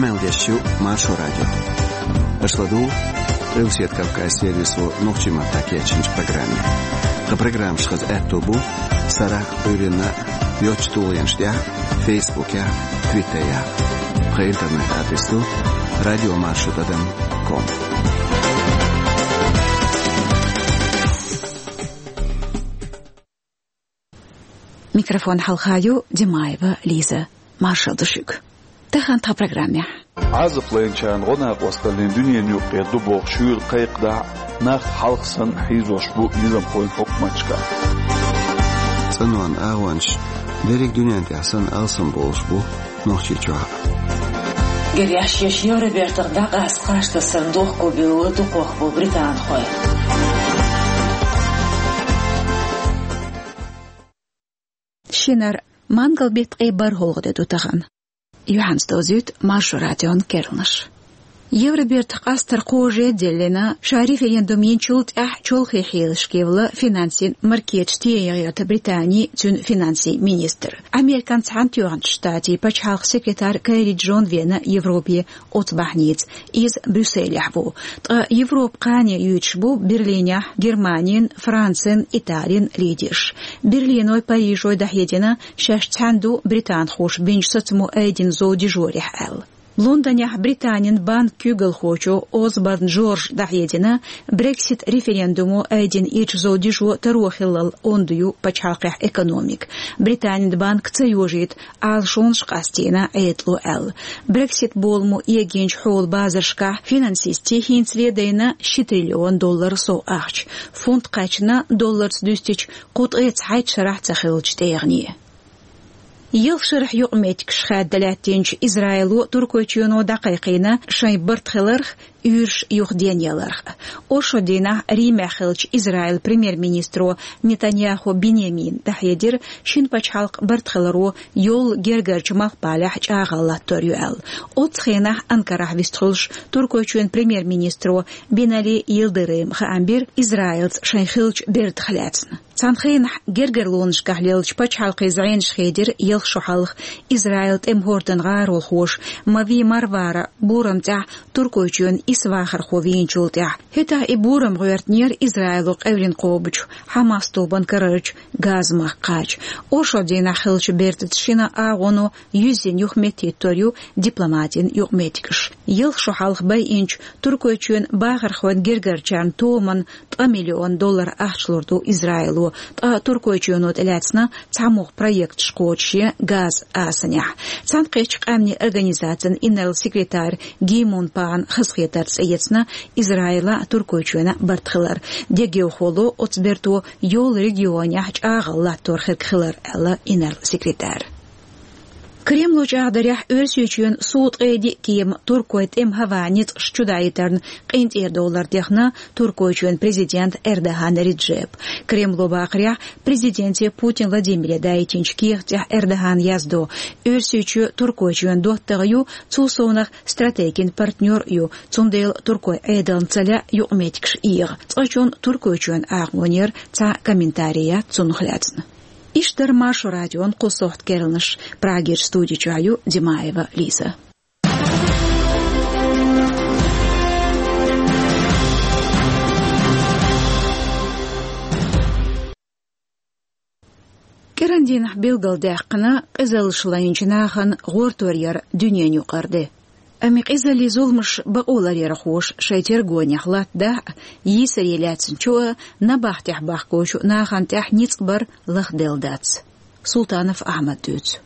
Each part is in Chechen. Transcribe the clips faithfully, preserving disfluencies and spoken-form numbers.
Къамел деш ю Маршо радио. Аша ладугӀу Къилбаседа Кавказан сервисо нохчийн маттахь кечйинчу программе. Тхан программаш хаза аьтто бу сарахь, Ӏуьйранна йоцчу тулгӀенаш тӀехь, Фейсбукехь, Твиттерехь. Тхан интернет адрес ду радио маршо тӀадам ком. Микрофон хьалха ю Димаева Лиза. Маршалла ду шуьга. Тахана тхан программехь. Ӏазап лайначарна гӀо-накъосталлин дуьненан юккъера ду бохуш шуьйра кхайкхадахь а, нах хьалха санна хьийзош бу низамхойн хьукматашкахь. ЦӀанонан агӀончаш дерриг дуьнен тӀехь санна алсам болуш бу Нохчийчохь а. Гереш еш Евробертах дӀакъаста кхаж тасарна дохко бевлла дукхох бу британхой. Шинара мангал-беттан ткъе бархӀалгӀа де ду тахана. Юьхьанца довзуьйту Маршо радион керланаш. Евробертах къастар кхаже а деллина, ша референдум йинчул тӀаьхьа чолхе хьелашкевлла финансийн маркеташ тӀеяхьийта Британи, цуьнан финансийн министр. Американ Цхьаьнатоьхначу Штатийн пачхьалкхан секретарь Керри Джон веана Европе оцу бахьаница. Иза Брюсселехь ву. Ткъа Европа кхане юьйцуш бу Берлинехь Германин, Францин, Италин лидерш. Берлиной, Парижой дӀахьедина, шаьш цхьаьна ду британхоша бинчу сацамо айдина зов дижорехь аьлла. Лондонехь Британин банкан куьйгалхочо Осборн Джорджа дӀахьедина, Брексит референдумо айдина ирча зов дижо таро хиллал онда ю пачхьалкхехь экономика. Британин банко ца йожийта Ӏалашонаш къастийна Ӏедало аьлла. Брексит боламо эгийначу хьолан базаршкахь финансистийн хӀинцале дайна ши триллион доллар сов ахча. Фунт кхаьчна долларца дуьстича кху ткъе цхьайтта шарахь ца хиллачу тӀегӀане. Ялх шарахь юкъаметтигаш хаьдда лаьттинчу Израило, Туркойчоьно дӀакхайкхийна шайн барт хиларх, уьйраш юха денъяларх. Оршот дийнахь Римехь хиллачу Израилан премьер-министро Нетаньяху Биньямина дӀахьедира шина пачхьалкхан барт хиларо йоллу гергарчу малхбалехь чӀагӀо латтор ю аьлла. Оццу хенахь Анкарахь вистхуьлуш Туркойчоьнан премьер-министро Бинали Йылдырыма хаам бира Израилца шайн хиллачу бертах лаьцна. Цхьана хенахь гергарлонашкахь леллачу пачхьалкхийн зӀенаш хедира ялх шо хьалха Израилан тӀеман хӀордан гӀаролхоша Мави Марвара бурам тӀехь Туркойчоьнан исс вахархо вийначул тӀаьхьа. ХӀетахь и бурам гӀоьртинера Израило къевлина кхобучу Хьамас тобанан карарчу Газа-махка кхача. Оршот дийнахь хиллачу бертаца шина агӀоно юьззина юхаметтахӀиттор ю дипломатийн юкъаметтигаш. Ялх шо хьалха байинчу Туркойчоьнан бахархойн гергарчарна томанна ткъа миллион доллар ахча лур ду Израило, ткъа Туркойчоьно тӀелаьцна цхьамогӀа проекташ кхочушъян Газа асанехь. Цхьаьнакхеттачу къаьмнийн организацин инарла секретарь Ги Мун Паган хазахетар цӀе эцна Израила а, Туркойчоьна а барт хилар. Дегайовхо ло оцу берто йоллу регионехь чӀагӀо латтор хирг хилар, аьлла инарла секретара. Кремло чӀагӀдарехь, Оьрсийчоьнан сув ткъе диъ кема туркойн тӀеман хӀаваан ницкъаш чудаийтарна къинтӀера довлар дехна Туркойчоьнан президента Эрдоган Реджепа. Кремло бахарехь, президенте Путин Владимире даийтинчу кехат тӀехь Эрдогана яздо: Оьрсийчоь Туркойчоьнан доттагӀа ю, цул совнах стратегин партнёр а ю, цундела туркойн Ӏедална ца лаьа юкъаметтигаш эгӀа. Цкъачунна Туркойчоьнан агӀонера цхьа комментарий яц цунах лаьцна. Иштта дара Маршо радион кху сохьта керланаш. Прагерчу студи чохь ю Димаева Лиза. КӀиран дийнахь билгалдаьккхина къизаллаш лайначу нахана гӀортор яр дуьненан юкъара де. Амма и къизаллин зуламаш бакъо ларъярхоша шайн тергонехь латтадахь а, йийсаре лаьцначу а, набахтехь бахкочу нахана тӀехь ницкъ бар лахделла дац. Султанов Ахьмада дуьйцу.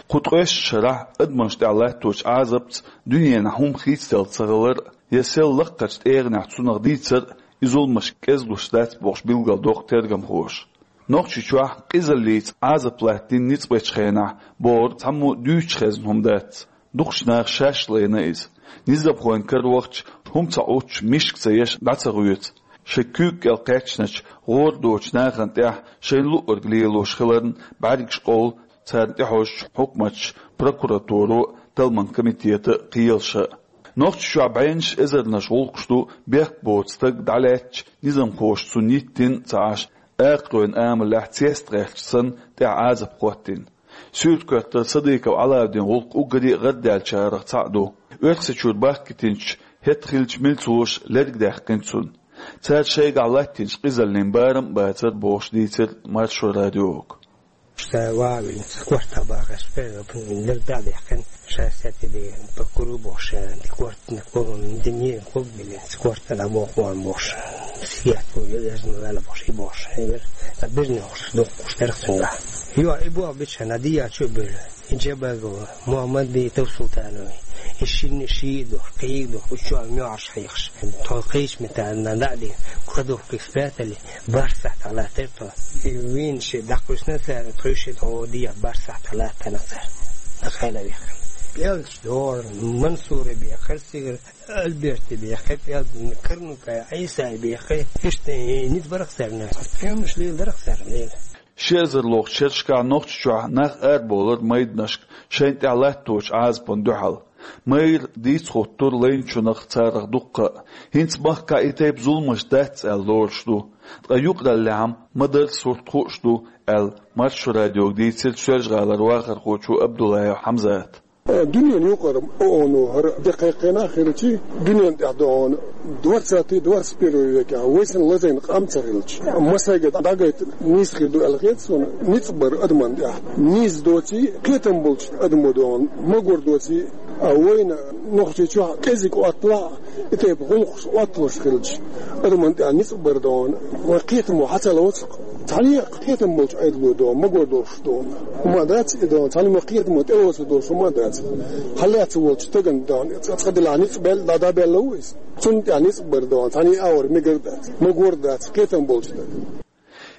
Кху ткъеста шарахь адамашна тӀехь латточу Ӏазапца дуьненахь хӀума хийцаделла ца хилар а, я сел лакхарчу тӀегӀанехь цунах дийцар а и зуламаш кӀезлуш дац бохуш билгалдоккху тергамхоша. Нохчийчохь къизаллица Ӏазап латтийна ницкъ бечу хенахь бохург цхьаммо а дуьйцуш хезна хӀума дац. Дукхачу наха шаьш лайна иза. Низамхойн кара вахча, хӀума ца Ӏуттуш, мишка ца еш дӀа ца гӀоьцу. Шайн куьйга кӀел кхаьчначу гӀора доцучу нахана тӀехь шайна луъург лелош хиларна бӀаьргаш къовлу царна тӀехьожучу хьукматаша, прокуратуро а, талламан комитето а, кхелаша а. Нохчийчохь бӀеннаш эзарнаш гӀуллакхаш ду бехк боцу стаг дӀалаьцча, низамхоша цунна йиттина а ца Ӏаш, акхаройн амалехь цеста гӀерташ санна тӀехь Ӏазап хӀоттийна. Суьрта коьртара Садыков Ӏалаудин гӀуллакх уггаре а гӀардаьллачарах цхьаъ ду. Оьрсийчуьра бахкийтинчу хӀетахь хиллачу милцоша лерг даьккхина цунна. Цара шайгахь латтийначу къизаллин барам а бацара бохуш дийцира Маршо радиога. Ша вавин, корта багаш, лерг даьккхина, ша сети де, по кругу бохуш, ди корта, ди не, клуб били, корта на бохуш, бохуш. Сият, езна, лала бохуш, и бохуш. Бизнес бохуш, дохуш, терхсунга. Йо, и бо бичхьана дӀа а чу а буьллу, и Джабагова, Мухьаммад Битов Султанови, и шинна шиъ а дохуш, кхин а дохуш, учу а муьгӀарш хьехаш, тхо кхечу метана дӀа а дина, кхо дохкий спрятали, бархӀ сахьт хьалаттара тхо. И вийна шиъ дӀакхуьссина цара, тхуьйшиъ тхо дехьа бархӀ сахьт хьалаттана цара. Ас хьайна вехира. ПӀелгаш дора, Мансура бехира, Сигар Альберта бехира, пӀелг Карнука Ӏийса бехира, иштта и ницкъ барах царна. Пхьемаш леладарах царна лела. Ши эзар лохучу шерашкахь Нохчийчохь нах арабовлура майданашка шайна тӀехь латточу Ӏазапна дуьхьал. Майра дийца хӀуттура лайначунах царах дуккха а. ХӀинца махкахь и тайпа зуламаш дац аьлла лоруш ду. Ткъа юкъараллехь-м ма-дарра сурт хууш ду, аьлла, Маршо радиога дийцира Соьлжа-ГӀалара вахархочо Абдуллаев Хьамзата. Дуьненан юкъара ООН-о хӀара де кхайкхина хилча, дуьненна тӀехь догӀун двадцатый, двадцать первый векехь вай санна лазийна къам ца хилча, массаьрга дӀагайта нийса хир ду аьлла хета суна, ницкъ бар адамна тӀехь. Нийса доций, кхетам болчу адамо догӀун, магор доций, а вайна Нохчийчохь кӀезиг отталахь, и тайпа гӀуллакхаш отталуш хилча, адамна тӀехь ницкъ бар догӀун, вайн кхетамо хьан ца лоцу? Цхьаьна а кхетам болчу Ӏедало догӀун, магор долуш догӀун. ХӀума дац и догӀун, цхьаьна ма кхетамо тӀелоцу долуш хӀума дац. Хьан лаьцна волчу стагана догӀун, цкъа, цкъа делахь ницкъ бел-, дӀа-, дӀабелла ву иза. Цунна тӀехь ницкъ бар догӀун, цхьаьна а агӀор мегар дац. Магор дац, кхетам болчу стаг.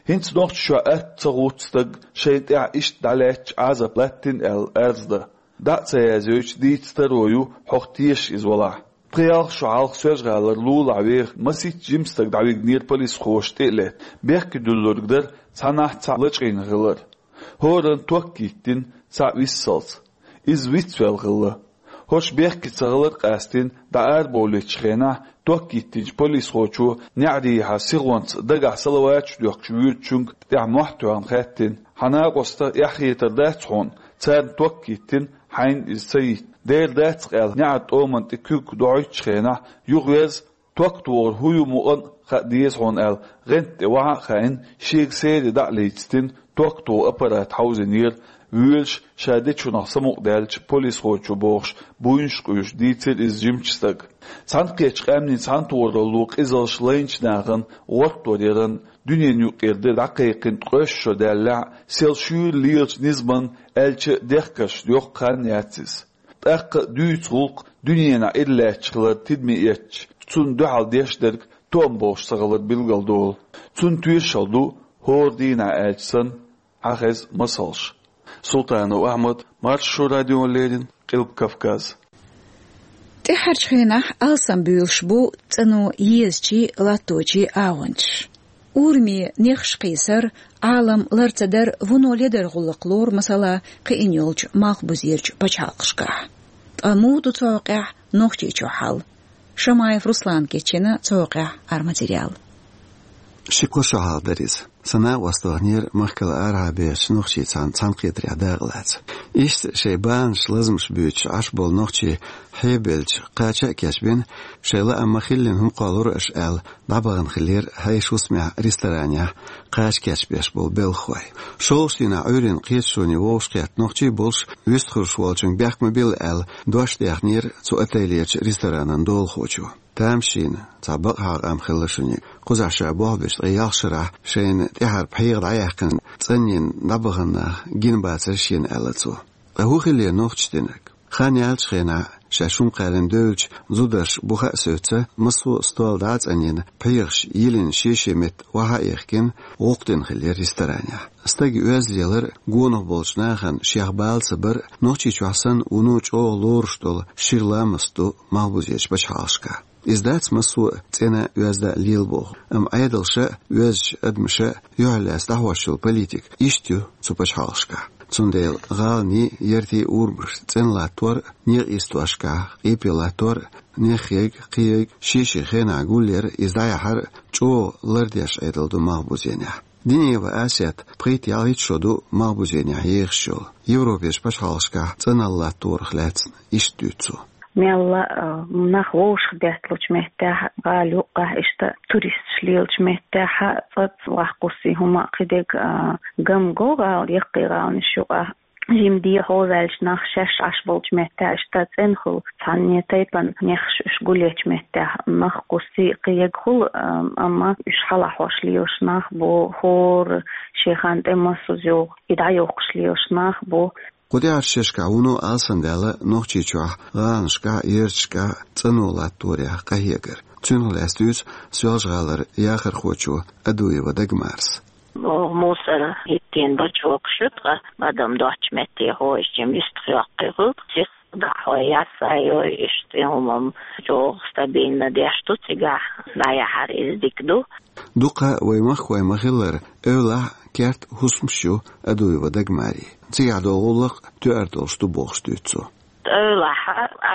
ХӀинца Нохчийчохь атта ца гӀутту стаг шайна тӀехь иштта дӀалаьцча Ӏазап латтина аьлла арз дан. ДӀа а ца язйойтуш дийца таро ю, хьох теша иза валахь. Пхи-ялх шо хьалха Соьлжа-ГӀалара лулахь веха масийтта жима стаг дӀавигнера полисхоша тӀе а летта. Бехке дуьллург дара цхьаннахь цхьаъ лачкъийна хилар. ХӀоранна ток йиттина, цхьаъ виссалц. Иза вицвелла хилла. ХӀорш бехке ца хилар къастийна, дӀа арабовлийтучу хенахь ток йиттинчу полисхочо неӀарехьа сихонца дагахь салаваташ доьхкуш воьдучуьнга тӀехь мохь тоьхна хаьттина: «Хьан накъоста эхь-хетар дац хьуна, царна ток йиттина, хьайна иза ца йитта? Дера дац-кх», — аьлла, неӀаран тӀоман тӀе куьг дохьуьйтучу хенахь, юхавеза, ток тохар хӀун ю мукъана а хаа деза хьуна аьлла, гӀанта тӀе вахьа а хаийна, шега серий дӀа а лецна, ток тоха аппарат хьовзийнера, воьлуш, ша дечунах самукъадаьлча, полисхочо бохуш, буйнаш къуьйсуш дийцира иза жимачу стага. Цхьаьнакхеттачу къаьмнийн цхьаьнатохаралло къизалш лайначу нахана гӀортор яран дуьненан юкъара де дӀакхайкхина ткъеста шо даьллехь а, сел шуьйра лелачу низаман аьлча а дехкарш йоккха хан яц иза. ТӀаккха а дуьйцу гӀуллакх дуьненахь иралаьтташ хилар тидаме эцча, цунна дуьхьал деш дерг тоам болуш ца хилар билгалдолу. Цунна тоьшалла ду, хӀора дийнахь аьлча санна, хьахеза масалш. Султанов Ахьмад, Маршо радиона леррина, Къилба Кавказ. ТӀаьххьарчу хенахь алсамбуьйлуш бу цӀано езачий, латточий агӀончаш. Ураме нехаш кхийсар, Ӏалам лар ца дар вуно ледар гӀуллакх лору, масала, кхиъна йолчу малхбузерчу пачхьалкхашкахь. Ткъа муха ду цу хьокъехь Нохчийчохь хьал? Шамаев Руслана кечйина цу хьокъехь аргаматериал. Ши-кхо шо хьалха дара иза. Сан накъост ваханера махкал арахьа бехачу нохчийн цхьана цхьаьнакхетарехь дакъалаца. Иштта шайн баханаш, лазамаш буьйцуш Ӏаш болу нохчий хьебелча кхача а кечбина, шайн лаам ма-хиллина хӀума кхоллура аша аьлла, дӀабахана хиллера хьешан хӀусамехь, ресторанехь кхача кечбеш болу белхахой. ШолгӀачу дийнахь Ӏуьйранна кхеташоне вовшахкхетта нохчий болуш, вистхуьлуш волчуьнга бехк ма билла аьлла, дош даьхнера цу отелерчу ресторанан долахочо. Тамашийна, цхьа бакъахьа къам хилла шуьниг. Кхузахь ша болхбеш ткъе ялх шарахь шайна тӀаьхьара пхьегӀа дӀаяьккхина, цӀанйина дӀабахана нах гина бацара шена, аьлла цо. Ткъа хӀун хиллера нохчаша динарг? Хан яьллачу хенахь, шаьш хӀума кхаьрина девллачу зударша бухахь а соьца, массо а стол дӀа а цӀанйина, пхьегӀаш йилина шен-шен метта вахьа а яхкина, гӀуллакх дина хиллера ресторанехь. Стаг оьзда лелар гонах болчу нахана шех бала ца бар, Нохчийчохь санна вуно чӀогӀа лоруш долу шира ламаст ду малхбузерчу пачхьалкхашкахь. Иза дац массо а цӀена а, оьзда а лела боху, амма Ӏедалша а, оьздачу адамаша а юьхьарлаьцна дӀахьош йолу политика иштта ю цу пачхьалкхашкахь. Цундела гӀаланийн, яртийн урамаш цӀена латтор а, некъан йистошкахь къепе латтор а, неххерг а, кхиерг а шен-шен хенахь гулъяр а, иза дӀаяхьар а чӀогӀа лардеш Ӏедал ду малхбузенехь. Динеева Асет пхийтта-ялхитта шо ду малхбузенехь ехаш йолу. Европерчу пачхьалкхашкахь цӀаналла латторах лаьцна иштта дуьйцу цо. Мелла а, нах вовшахбетталучу меттехь, гӀала юккъехь, иштта туристаш лелачу меттехь, цӀа-цӀа ваккхуссий хӀума кхидерг а, гам го гӀала, яккхий гӀаланаш юкъахь. Жимма дехьа ваьлча нах шаьш Ӏаш болчу меттехь, иштта цӀена хуьлу, цхьанне тайпана нехаш уьш гулъечу меттехь, нах кхуссий кхиерг хуьлу, а, амма уьш хьалахьош лелаш нах бу, хӀора шен хан тӀе массо а йогӀу, и дӀайохкуш лелаш нах бу. Кху тӀаьхьарчу шерашкахь вуно алсамдаьлла Нохчийчохь гӀаланашкахь, ярташкахь цӀано латторех къахьегар. Цунах лаьцна дуьйцу Соьлжа-ГӀалара яхархочо Адуева Дагмарас. Оха мусор хӀиттийна бачокаш ю тхан, адам доцчу метте хьожуш, жимма юьстах йоккхий хуьлу, сиха дӀахьой, ясай йой, иштта хӀумам чӀогӀа стабильно деш ду цигахь, дӀаяхьар иза дика ду. Дукха вай махкахой ма-хиллара, эвлахь керта хӀусамаш ю Адуева Дагмарин. Цигахь долу гӀуллакх тоьар долуш ду бохуш дуьйцу цо. Эвлахь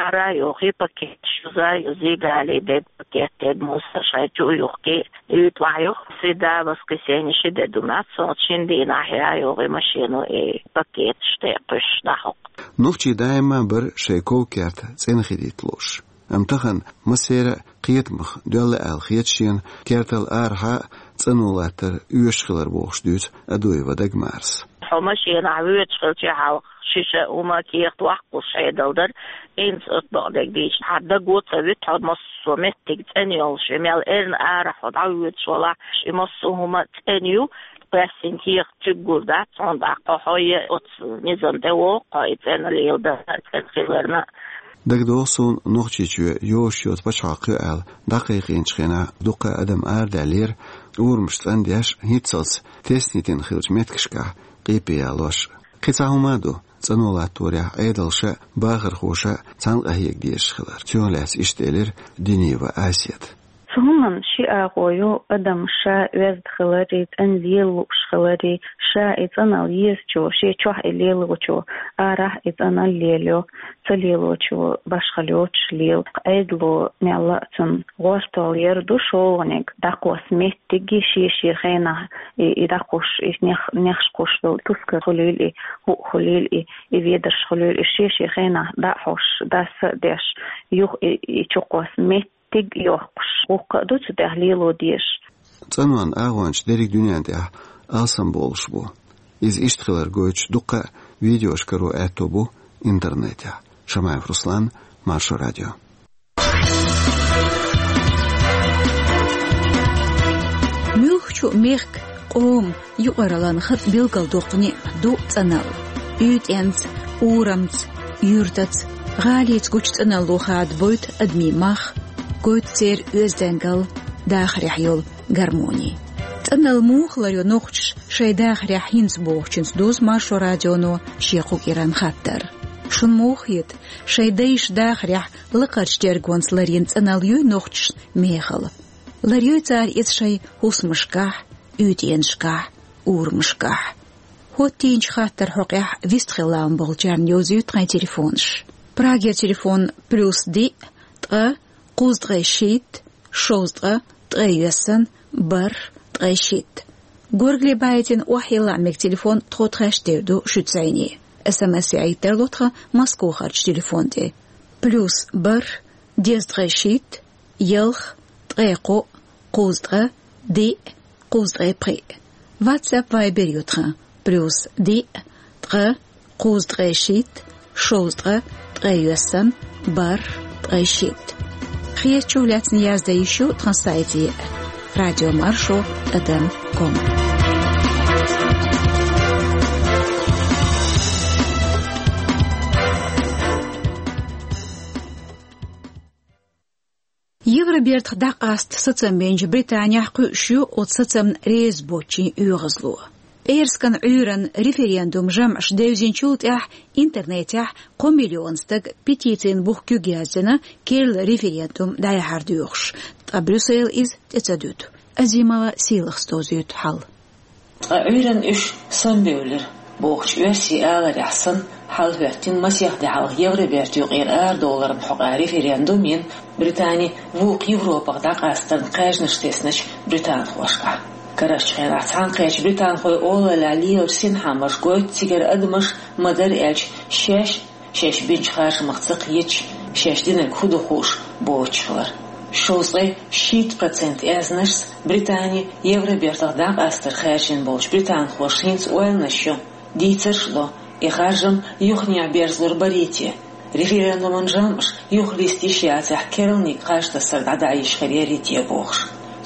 ара а йохий пакеташ, юза а юзий, гали дерг, пакет дерг, мусор шайн чу а юхкий, уьйтӀахь юха, среда, воскресенье ши де ду мац, оцу шина дийнахь а йохий машено и пакеташ тӀе а кхуьссуш дӀахьокху. Нохчий даима а бара шайн ков-керт цӀена хилийта лууш. Амма тахана массеран а кхетамах доьлла аьлла хета шена кертал арахьа а цӀано латтар оьшуш хилар бохуш дуьйцу Адуева Дагмарас. Хьо машенахь воьдуш хилча, хьалха шиша хӀума, кехат ваккхалуш Ӏедал дара. ХӀинца оцу бакъдерг дийцича, хьан даго ца вуьту хьо массо а меттиг цӀена йолуш. И мел эрна арахь хьо дӀавоьдуш валахь, и массо а хӀума цӀена ю, кхоьссина кехат чуьггур дац хьуна, тӀаккха хьо е оцу низам тӀе вогӀу, хьо и цӀена леладар, цӀена хиларна. ДагадогӀу суна, Нохчийчоь йозуш йоцу пачхьалкх ю аьлла дӀакхайкхийначу хенахь дуккха а адам арадаьллера, урамаш цӀандеш, хӀинццалц тесна йитина хиллачу меттигашкахь къепе ялош. Кхин цхьа хӀума а ду, цӀано латторехь Ӏедалша а, бахархоша а цхьаьна къахьега дезаш хилар. Цунах лаьцна иштта элира Динеева Асета. Цу хӀуманан ши агӀо ю: адам ша оьзда хиларе, цӀена лела лууш хиларе, ша и цӀаналла езачо, шен чохь и лелочо, арахь и цӀаналла лелайо, ца лелочо башхалла йоцуш лела. Ӏедало мелла а цунна гӀортол яр ду шолгӀаниг, дӀакхосса меттиге шен-шен хенахь и, и дӀакхуссуш, и нех-, нехаш кхуссуш долу тускар хуьлийла и, хӀуъа хуьлийла и, и ведарш хуьлийла и, шен-шен хенахь дӀа а хьош, дас а деш, юха и, и чукхосса меттиг йохкуш. Вуккха а ду цу тӀехь лело дезаш. ЦӀанонан агӀончаш дерриг дуьнен тӀехь алсамбовлуш бу. Иза иштта хилар гойтуш дуккха а видеош каро аьтто бу интернетехь. Шамаев Руслан, Маршо радио. Муьлххачу мехкан, къоман юкъараллин хатӀ билгалдоккху неӀ ду цӀаналла. УьйтӀенца, урамца, юьртаца, гӀалица гучу цӀаналло хадабойту адамийн мах, гойту церан оьздангалла, дахарехь йолу гармони. ЦӀаналла муха ларйо нохчаша шайн дахарехь хӀинца бохучуьнца дузу Маршо радионо шен кху кӀиран хаттар. Шуна муха хета, шайн дайша дахарехь лакхарчу тергонца ларйина цӀаналла юй нохчашна мехала? Ларйой цара иза шайн хӀусамашкахь, уьйтӀенашкахь, урамашкахь? ХӀоттийначу хаттаран хьокъехь вистхила лаам болчарна йовзуьйту тхайн телефонаш. Прагера телефон: плюс диъ, ткъа, кхузткъе шийтта, шовзткъа, ткъе йоьссан, бархӀ, ткъе шийтта. Горгали байтина охьайилла мега телефон тхо тхаьш тера ду шуьца зӀене. СМС яийтар ло тхан Москвахарчу телефон тӀе: плюс бархӀ, дезткъе шийтта, ялх, ткъе кхоъ, кхузткъа, диъ, кхузткъе пхиъ. WhatsApp, Viber ю тхан: плюс диъ, ткъа, кхузткъе шийтта, шовзткъа, ткъе йоьссан, бархӀ, ткъе шийтта. Хетачух лаьцна яздан йиш ю тхан сайте: радиомаршо тӀадам ком. Евробертах дӀакъаста сацам бинчу Британехь кхуьуш ю оцу сацамна реза боцчийн оьгӀазло. ПӀераскан Ӏуьйранна референдум жамӀаш девзинчул тӀаьхьа интернетехь кхо миллион стага петицин бух куьг яздина, керла референдум дӀаяхьар доьхуш, ткъа Брюссель иза тӀе ца дуьту. Азимова Сийлахас дозуьйту хьал. Ткъа Ӏуьйранна уьш самабевлира бохучу оьрсийн аларехь санна, хьал хӀоьттина масех де хьалха Евробертан юкъера арадовларан хьокъехь референдум йина Британи вукху Европах дӀакъастарна кхаьжнаш тесначу британхошкахь. Карарчу хенахь цхьаьнакхеттачу британхойн олаллехь лелачу синхаамаша гойту цигара адамаш, ма-дарра аьлча, шаьш шаьш бинчу харжамах ца кхеташ, шаьш динарг хӀун ду хууш боцуш хилар. Шовзткъе шийтта процент аьзнашца Британи Евробертах дӀакъастарх хаьржина болчу британхоша хӀинца ойланаш ю, дийцарш а до, и харжам юханехьа берзалур барий те, референдуман жамӀаш юхалиста йиш яцахь, керланиг кхаж тасар дӀадахьа йиш хир ярий те бохуш.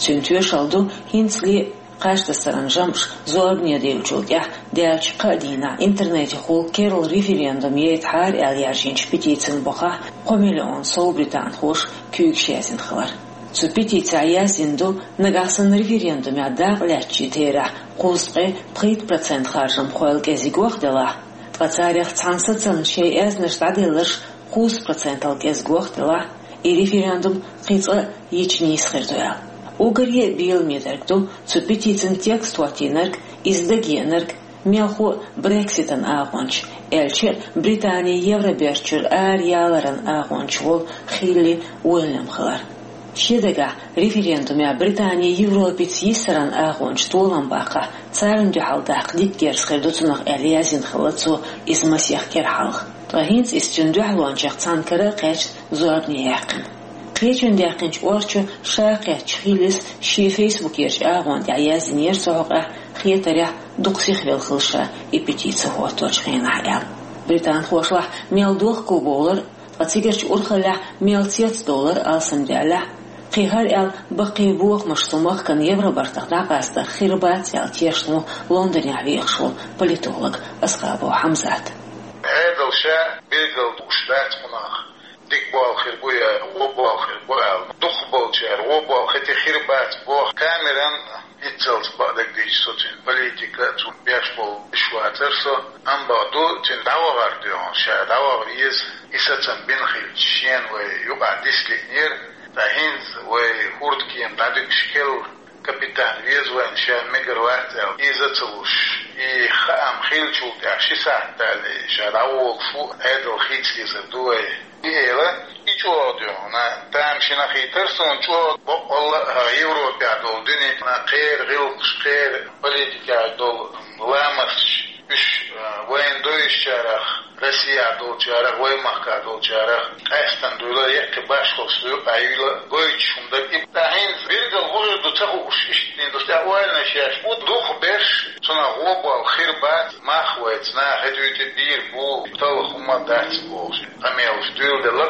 Цуьнан тоьшалла ду хӀинцале а кхаж тасаран жамӀаш зорбане девллачул тӀаьхьа даьллачу кхаа дийнахь интернетехула керла референдум яйтахьара аьлла яржийначу петицин бухахь кхо миллион сов британхоша куьйгаш язйина хилар. Цу петицехь яздина ду, нагахь санна референдумехь дакъа лаьттачийн терахь кхузткъе пхийтта процент харжамхойла кӀезиг ваха делахь, ткъа царех цхьана сацамна шайн аьзнаш дӀаделларш кхузткъа процентал кӀезиг ваха делахь, и референдум кхин цкъа а йича нийса хир ду аьлла. Уггаре а беламе дерг ду цу петицин текст хӀоттийнарг, иза дагеанарг, мелхо а Брекситан агӀонча, аьлча а Британи Евроберт чуьра араяларан агӀонча волу Хилли Уильям хилар. Шен дагахь референдумехь Британи Европица йисаран агӀончаша толам баккхахь, царна дуьхьал даккха дика герз хир ду цунах аьлла, яздина хилла цо иза масех кӀира хьалха. Ткъа хӀинца иза цуьнан дуьхьалончех цхьаьнна кара а кхаьчна, зорбане яьккхина. Кхечунна даьккхинчу орчо ша кхаьчча, Хиллис шен фейсбукерчу агӀона тӀехь яздинера цу хьокъехь, хетарехь, дукха сихвелла хилла ша и петици хӀотточу хенахь аьлла. Британхошлахь мел дохко бовлар, ткъа цигарчу урхаллехь мел цецдовлар алсамдаьллехь, кхин хӀара аьлла, баккхий бохамаш цу махкана Евробертах дӀакъастарх хир бац аьлла тешна ву Лондонехь вехаш волу политолог Асхабов Хьамзат. Ӏедал ша билггал дууш дац кхунах, дика болу хир бу я вон болу хир бу аьлла. Дукхахболчара вон болу хити хир бац боху. Камерон Иццалц бакъдерг дийцича, со цуьнан политика, цунна беш болу иш вацара со, амма бакъду, цуьнан дӀавахар доьхна, ша дӀаваха веза, и сацам бина хилча, шена вай юкъахь дисалиънера, ткъа хӀинца вай хӀордкема дӀадуьгуш керла капитан веза вайна, ша мегар вац аьлла, иза а ца луш, и хаам хиллачул тӀаьхьа ши сахьт дале, ша дӀаволуш ву, Ӏедал хийца дезар ду вай. И эла, и чӀогӀа дуьхьал, тамашийна хетара суна чӀогӀа баккъалла а Европехь долу дуьненна кхеран гӀиллакхаш, кхеран политикехь долу ламасташ, уьш, а, вайна довзуьйтучарах, Россехь долчарах, вай махкахь долчарах къаьстина дуьйла, яккхий башхаллаш юкъахь юьйла гойтуш хӀума дара и. Ткъа хӀинца билггал хӀун хир ду ца хууш, иштта дина ду, тӀе ойланаш еш бу, дукхахберш, цунах вон болу хир бац, мах вайца наха дуьйцу бийр бу, талла хӀума дац бохуш. Къамелаш дуьйладелла.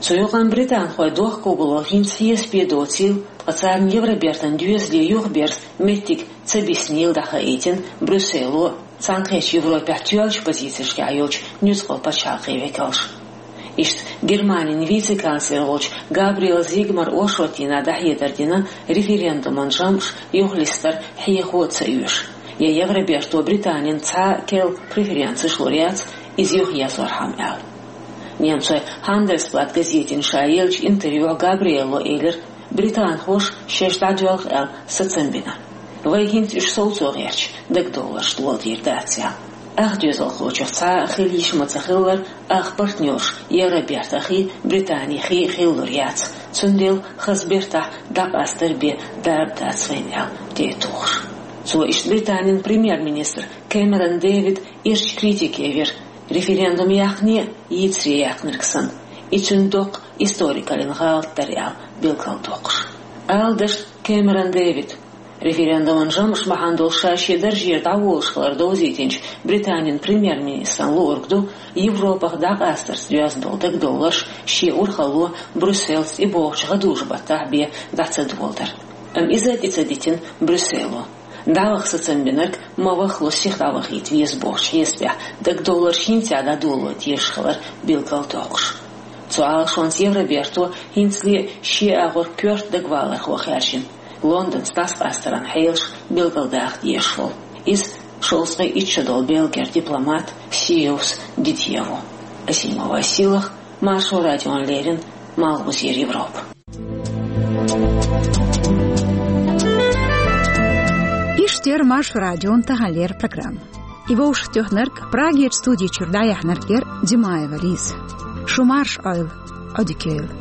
Цу юкъана британхойн дохкобало хӀинца хьесапе доцийла, ткъа царна Евробертан доьзале юхаберза меттиг ца биснийла дӀахаийтина Брюссело а, Цхьаьнакхеттачу Европехь тоьллачу позицешкахь йолчу нуьцкъала пачхьалкхийн векалша. Иштта Германин вице-канцлер волчу Габриэл Зигмара оршотдийнахь дӀахьедар дина референдуман жамӀаш юхалистар хьехо а ца оьшу, я Евроберто Британина цхьа а керла преференцеш лур яц, иза юхаерзорхьама аьлла. Немцойн Хандельсблат газетина ша еллачу интервьюхь Габриэло элира, британхоша шаьш дӀадоьлху аьлла сацам бина. Вай хӀинца уьш совцо гӀерташ, дагадовларш доладийр дац аьлла. Ах доьзалхочух цхьа а хила йиш ма ца хиллара, ах партнерш Евробертахий, Британехий хила лур яц, цундела хаза бертахь дӀакъастар бен дарба дац вайна аьлла тӀе а тухуш. Цо иштта Британин премьер-министр Кэмерон Дэвид ирчу критике вира, референдум яьккхине а, йийцаре яьккхинарг санна, и цуьнан доккха историкаллин гӀалат дара аьлла билгалдоккхуш. Ала дашна, Кэмерон Дэвид, референдуман жамӀаш бахьана долуш ша шен даржера дӀаволуш хилар довзийтинчу Британин премьер-министран луург ду, Европах дӀакъастарца доьзна долу дагадовларш шен урхалло Брюсселца и бохучу гӀадужу-баттахь бен дӀа ца доладар. Амма иза а тӀе ца дитина Брюссело. ДӀаваха сацам бинарг ма вахло сиха дӀавахийта веза бохучу хьесапехь дагадовларш хӀинца а дӀадоло дезаш хилар билгалдоккхуш. Цу Ӏалашонца Евроберто хӀинцале а шен агӀор коьрта дагавалархо хаьржина, Лондонца дӀасакъастаран хьелаш билгалдаха дезаш волу. Иза шовзткъе итт шо долу Бельгера дипломат Сиевс Дидье ву. Азимова Силах, Маршо радиона леррина, Малхбузера Европа. Иштта яра Маршо радион таханлера программа. И вовшахтоьхнарг, Прагерчу студи чуьра дӀаяьхьнарг яра Димаева Лиза. Шу марша Ӏойла, Ӏодика йойла.